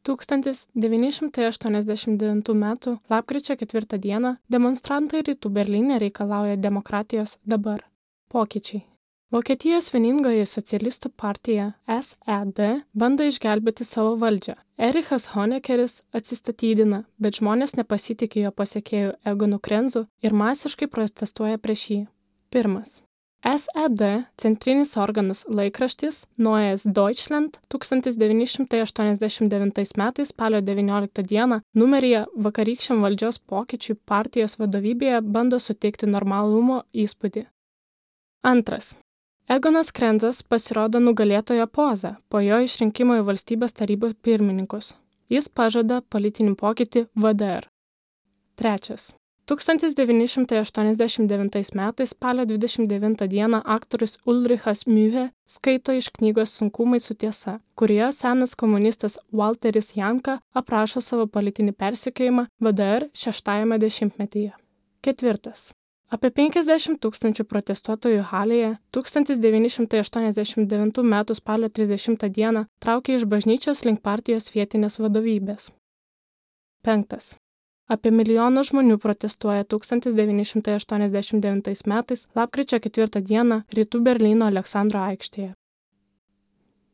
1989 m. lapkričio 4 d. demonstrantai Rytų Berlyne reikalauja demokratijos dabar. Pokyčiai. Vokietijos vieningoji socialistų partija SED bando išgelbėti savo valdžią. Erichas Honeckeris atsistatydina, bet žmonės nepasitikė jo pasekėjų Egonu Krenzu ir masiškai protestuoja prieš jį. 1. SED centrinis organas laikraštis Neues Deutschland 1989 m. spalio 19 d. numeryje vakarykščiam valdžios pokyčiui partijos vadovybėje bando suteikti normalumo įspūdį. 2. Egonas Krenzas pasirodo nugalėtojo poza po jo išrinkimo į valstybės tarybos pirmininkus. Jis pažada politinį pokytį VDR. 3. 1989 m. spalio 29 d. aktorius Ulrichas Mühe skaito iš knygos Sunkumai su tiesa, kurioje senas komunistas Walteris Janka aprašo savo politinį persekiojimą VDR 6-ajame dešimtmetyje. 4. Apie 50 000 protestuotojų Halėje 1989 m. spalio 30 d. traukė iš bažnyčios link partijos vietinės vadovybės. 5. Apie 1 milijoną žmonių protestuoja 1989 m. lapkričio 4 d. Rytų Berlyno Aleksandro aikštėje.